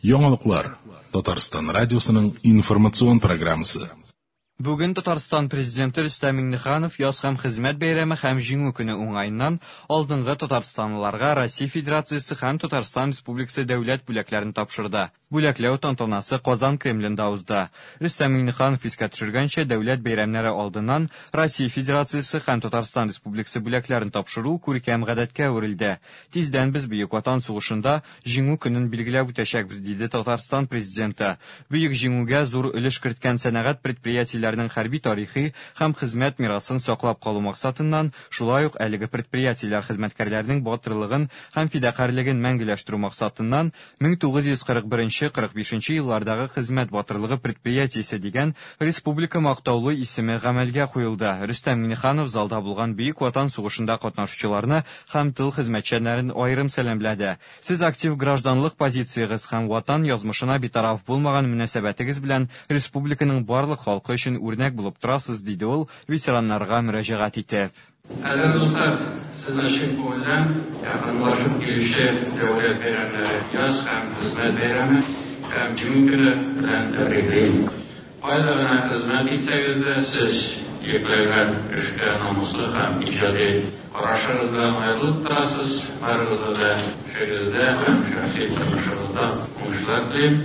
Яңалыклар. Татарстан радиосының информацион программасы. Бүген Татарстан Президенты Рөстәм Миңнеханов Яз һәм хезмәт бәйрәме һәм Җиңү көне уңаеннан алдынгы татарстанлыларга Россия Федерациясе һәм Татарстан Республикасы дәүләт бүләкләрен тапшырды. Бүләкләү тантанасы Казан Кремлендә узды. Рөстәм Миңнеханов искә төшергәнчә, дәүләт бәйрәмнәре алдыннан Россия Федерациясе һәм Татарстан Республикасы бүләкләрен тапшыру күркәм гадәткә әверелде. Тиздән без Бөек Ватан сугышында Җиңү көнен билгеләп үтәчәкбез, диде Татарстан Президенты. Бөек Җиңүгә зур өлеш керткән сәнәгать предприятиеләренең хәрби-тарихи һәм хезмәт мирасын саклап калу максатыннан, шулай ук әлеге предприятиеләр хезмәткәрләренең батырлыгын һәм фидакарьлеген мәңгеләштерү максатыннан 1941-45 еллардагы хезмәт батырлыгы предприятиесе дигән республика мактаулы исеме гамәлгә куелды. Рөстәм Миңнеханов залда булган Бөек Ватан сугышында катнашучыларны һәм тыл хезмәтчәннәрен аерым сәламләде. Сез актив гражданлык позициягез һәм Ватан язмышына битараф булмаган мөнәсәбәтегез белән республиканың барлык халкы өчен үрнәк булып торасыз, диде ул ветераннарга мөрәҗәгать итеп. Кадерле дуслар, сезне чын күңелдән якынлашып килүче дәүләт бәйрәмнәре, Яз һәм Хезмәт бәйрәме һәм Җиңү көне белән тәбриклим. Кайда гына хезмәт итсәгез дә, сез йөкләгән эшкә намуслы һәм иҗади карашыгыз белән аерылып торасыз. Барыгызга да эшегездә һәм шәхси тормышыгызда уңышлар телим.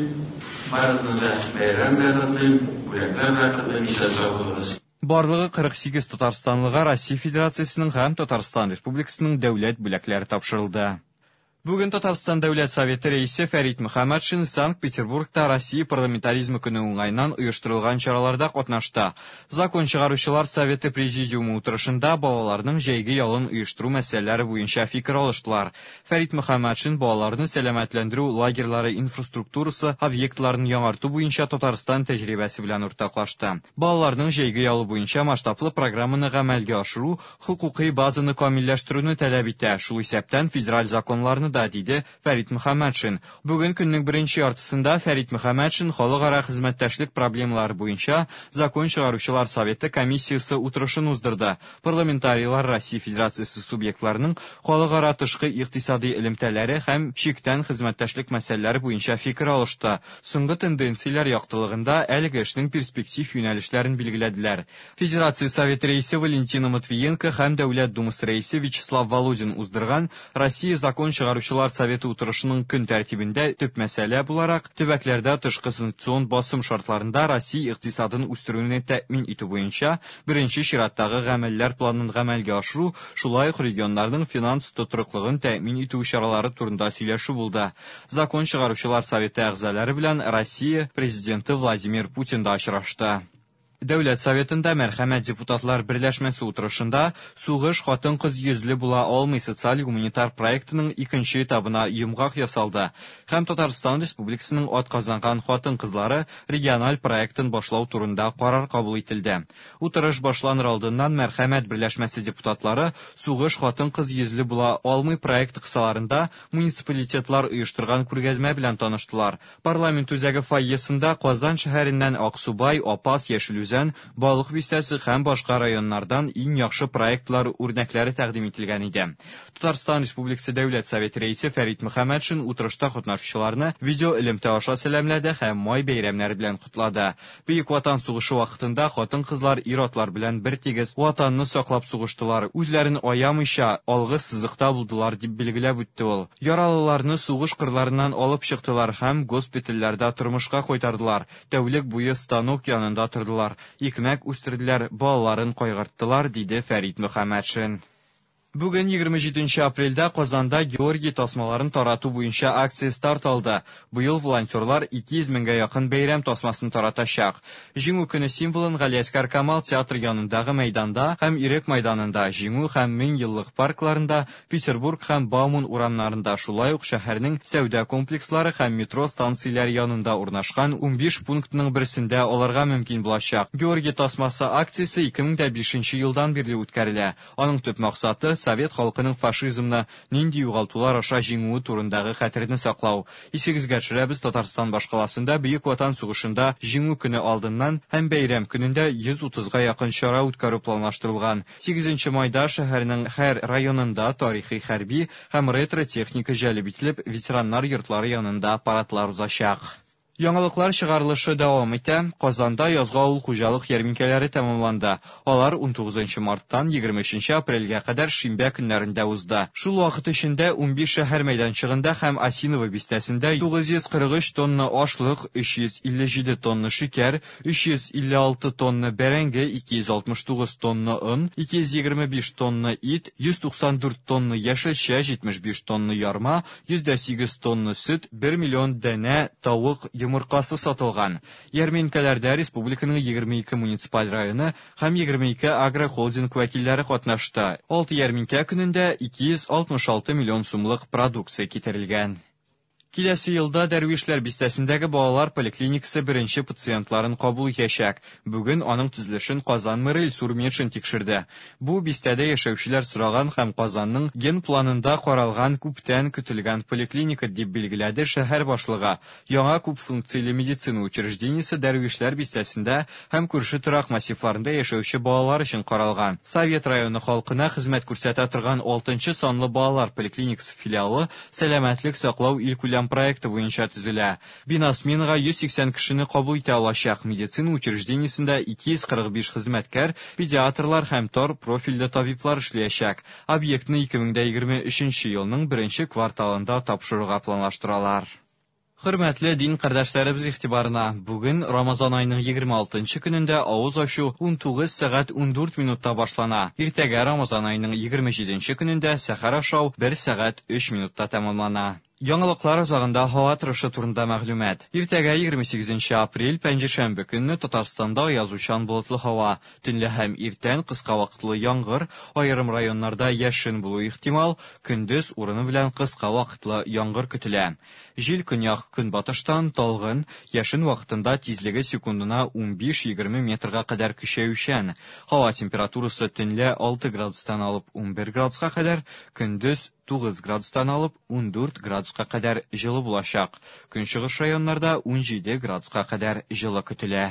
Барыгызны да бәйрәм белән котлыйм, бүләкләр белән котлыйм, исән-сау булыгыз. Барлыгы 48 татарстанлыга Россия Федерациясенең һәм Татарстан Республикасының дәүләт бүләкләре тапшырылды. Бүген Татарстан Дәүләт Советы Рәисе Фәрит Мөхәммәтшин Санкт-Петербургта Россия парламентаризмы көне уңаеннан оештырылган чараларда катнашты. Закон чыгаручылар Советы Президиумы утырышында балаларның җәйге ялын оештыру мәсьәләләре буенча фикер алыштылар. Фәрит Мөхәммәтшин балаларны сәламәтләндерү лагерьлары инфраструктурасы объектларын яңарту буенча Татарстан тәҗрибәсе белән уртаклашты. Балаларның җәйге ялы буенча масштаблы программаны гамәлгә ашыру хокукый базаны камилләштерүне таләп итә, шул исәптән федераль законнарны да, диде Фәрит Мөхәммәтшин. Бүген көннең беренче яртысында Фәрит Мөхәммәтшин халыкара хезмәттәшлек проблемалары буенча Закон чыгаручылар советы комиссиясе утырышын уздырды. Парламентарийлар Россия Федерациясе субъектларының халыкара тышкы икътисади элемтәләре һәм чиктән хезмәттәшлек мәсьәләләре буенча фикер алышты. Соңгы тенденцияләр яктылыгында әлеге эшнең перспектив юнәлешләрен билгеләделәр. Федерация Советы рәисе Валентина Матвиенко һәм Дәүләт Думасы рәисе Вячеслав Володин уздырган Россия закон чыгаручылар советы утырышының көн тәртибендә төп мәсьәлә буларак төбәкләрдә тышкы санкцион басым шартларында Россия икътисадын үстерүне тәэмин итү буенча беренче чираттагы гамәлләр планын гамәлгә ашыру, шулай ук регионнарның финанс тотрыклыгын тәэмин итү чаралары турында сөйләшү булды. Закон чыгаручылар советы әгъзалары белән Россия Президенты Владимир Путин да очрашты. Дәүләт Советында Мәрхәмәт депутатлар берләшмәсе утырышында Сугыш хатын-кыз йөзле була алмый социаль-гуманитар проектының икенче этабына йомгак ясалды һәм Татарстан Республикасының атказанган хатын-кызлары региональ проектын башлау турында карар кабул ителде. Утырыш башланыр алдыннан Мәрхәмәт берләшмәсе депутатлары Сугыш хатын-кыз йөзле була алмый проекты кысаларында муниципалитетлар оештырган күргәзмә белән таныштылар. Парламент үзәге фойесында Казан шәһәреннән Аксубай, Апас, Яшел Үзән, Балык Бистәсе һәм башка районнардан иң яхшы проектлар үрнәкләре тәкъдим ителгән иде. Татарстан Республикасы Дәүләт Советы рәисе Фәрит Мөхәммәтшин утырышта катнашучыларны видеоэлемтә аша сәламләде һәм май бәйрәмнәре белән котлады. Бөек Ватан сугышы вакытында хатын-кызлар ир-атлар белән бертигез Ватанны саклап сугыштылар, үзләрен аямыйча, алгы сызыкта булдылар, дип билгеләп үтте ул. Яралыларны сугыш кырларыннан алып чыктылар һәм госпитальләрдә тормышка кайтардылар, тәүлек буе станок янында тордылар, икмәк үстерделәр, балаларын кайгырттылар, диде Фәрит Мөхәммәтшин. Бүген 27 нче апрельдә Казанда Георгий тасмаларын тарату буенча акция старт алды. Быел волонтерлар 200 меңгә якын бәйрәм тасмасын таратачак. Җиңү көне символын Галиәсгар Камал театры янындагы мәйданда һәм Ирек майданында, Җиңү һәм Мең еллык паркларында, Петербург һәм Бауман урамнарында, шулай ук шәһәрнең сәүдә комплекслары һәм метро станцияләре янында урнашкан 15 пунктның берсендә алырга мөмкин булачак. Георгий тасмасы акциясе 2005 елдан бирле үткәрелә. Аның төп максаты, совет халкының фашизмны нинди югалтулар аша җиңүе турындагы хәтерне саклау. Исегезгә төшерәбез, Татарстан башкаласында Бөек Ватан сугышында Җиңү көне алдыннан һәм бәйрәм көнендә 130 га якын чара үткәрү планлаштырылган. 8 майда шәһәрнең һәр районында тарихи хәрби һәм ретро-техника җәлеп ителеп, ветераннар йортлары янында парадлар узачак. Яңалыклар чыгарылышы дәвам итә. Казанда язгы авыл хуҗалык ярминкәләре тәмамланды. Алар 19 марттан 23 апрельгә кадәр шимбә көннәрендә узды. Шул вакыт эчендә 15 шәһәр мәйданчыгында һәм Осиново бистәсендә 943 тонна ашлык, 357 тонна шикәр, 356 тонна бәрәңге, 269 тонна он, 225 тонна ит, 194 тонна яшелчә, 75 тонна ярма, 108 тонна сөт, 1 миллион данә тавык йомыркасы сатылган. Ярминкәләрдә республиканың 22 муниципаль районы һәм 22 агрохолдинг вәкилләре катнашты. 6 ярминкә көнендә 266 миллион сумлык продукция китерелгән. Киләсе елда Дәрвишләр бистәсендәге балалар поликлиникасы беренче пациентларын кабул итәчәк. Бүген аның төзелешен Казан мэры Илсур Метшин тикшерде. Бу бистәдә яшәүчеләр сораган һәм Казанның генпланында каралган күптән көтелгән поликлиника дип билгеләде шәһәр башлыгы. Яңа күпфункцияле медицина учреждениесе Дәрвишләр бистәсендә һәм күрше торак массивларында яшәүче балалар өчен каралган. Совет районы халкына хезмәт күрсәтә торган 6 санлы балалар поликлиникасы филиалы сәламәтлек саклау илкүләм проекты буенча төзелә. Бина сменага 180 кешене кабул итә алачак. Медицина учреждениесендә 245 хезмәткәр, педиатрлар һәм тар профильле табиблар эшләячәк. Объектны 2023 елның беренче кварталында тапшыруга планлаштыралар. Хөрмәтле дин кардәшләребез игътибарына, бүген Рамазан аеның 26 көнендә авыз ачу 19 сәгать 14 минутта башлана. Иртәгә Рамазан аеның 27 көнендә сәхәр ашау 1 сәгать 3 минутта тәмамлана. Яңалыклар азагында һава торышы турында мәгълүмат. Иртәгә 28 апрель пәнҗешәмбе көнне Татарстанда аязучан болытлы һава, төнлә һәм иртән кыска вакытлы яңгыр, аерым районнарда яшен булу ихтимал, көндез урыны белән кыска вакытлы яңгыр көтелә. Җил көньяк көнбатыштан талгын, яшен вакытында тизлеге секундына 15-20 метрга кадәр көчәючән. Һава температурасы төнлә 6 градустан алып 11 градуска кадәр, көндез 9 градустан алып 14 градуска кадәр җылы булачак. Көнчыгыш районнарда 17 градуска кадәр җылы көтелә.